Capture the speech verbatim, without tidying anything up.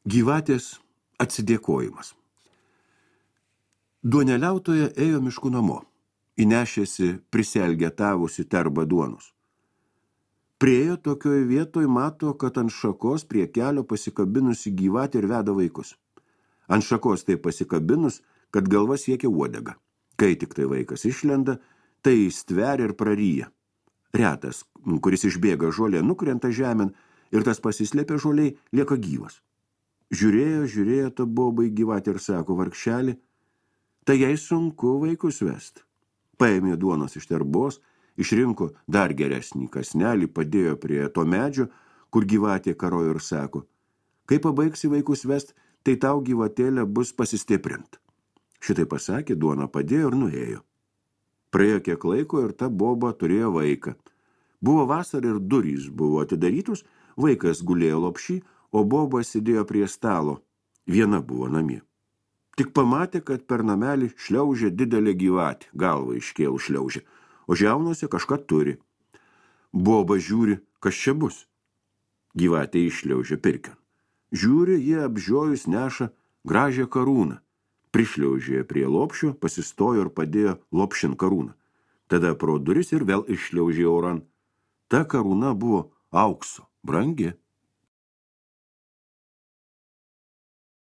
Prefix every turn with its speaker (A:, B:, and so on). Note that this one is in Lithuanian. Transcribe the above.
A: Gyvatės atsidėkojimas. Duoneliautoja ėjo mišku namo, įnešėsi prisielgetavusi terbą duonos. Priejo tokioje vietoje mato, kad ant šakos prie kelio pasikabinusi gyvatė ir veda vaikus. Ant šakos tai pasikabinus, kad galva siekia uodegą. Kai tik tai vaikas išlenda, tai stveria ir praryja. Retas, kuris išbėga žolė, nukrenta žemėn ir tas pasislėpė žoliai lieka gyvas. Žiūrėjo, žiūrėjo ta bobai gyvatė ir sako, vargšelį, tai jai sunku vaikus vest. Paėmė duonos iš terbos, išrinko dar geresnį kasnelį, padėjo prie to medžio, kur gyvatė karojo ir sako, kai pabaigsi vaikus vest, tai tau gyvatėlė bus pasistiprint. Šitai pasakė, duoną padėjo ir nuėjo. Praėjo kiek laiko ir ta boba turėjo vaiką. Buvo vasara ir durys buvo atidarytus, vaikas gulėjo lopšy, o boba sėdėjo prie stalo. Viena buvo namie. Tik pamatė, kad per namelį šliaužė didelė gyvatė, galva iškėl šliaužė, o žiaunose kažką turi. Boba žiūri, kas čia bus. Gyvatė iššliaužė pirkion. Žiūri, jie apžiojus neša gražią karūną. Prišliaužė prie lopšio, pasistojo ir padėjo lopšin karūną. Tada pro duris ir vėl iššliaužė oran. Ta karūna buvo aukso, brangi.